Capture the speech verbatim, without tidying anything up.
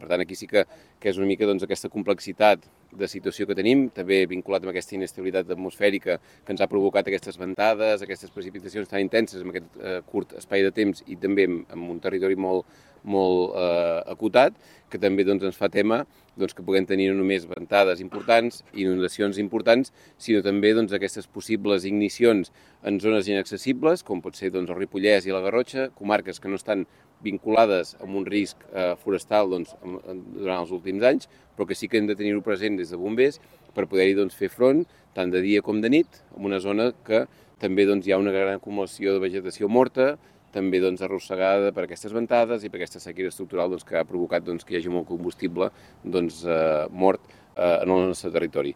Per tant, aquí sí que, que és una mica doncs, aquesta complexitat de situació que tenim, també vinculat amb aquesta inestabilitat atmosfèrica que ens ha provocat aquestes ventades, aquestes precipitacions tan intenses en aquest eh, curt espai de temps i també en, en un territori molt, molt eh, acotat, que també doncs, ens fa tema doncs, que puguem tenir no només ventades importants, inundacions importants, sinó també doncs, aquestes possibles ignicions en zones inaccessibles, com pot ser doncs, el Ripollès i la Garrotxa, comarques que no estan vinculades amb un risc eh, forestal doncs, durant els últims anys, però que sí que hem de tenir-ho present des de bombers per poder-hi doncs, fer front, tant de dia com de nit, en una zona que també doncs, hi ha una gran acumulació de vegetació morta, també doncs, arrossegada per aquestes ventades i per aquesta sequera estructural doncs, que ha provocat doncs, que hi hagi molt combustible doncs, eh, mort eh, en el nostre territori.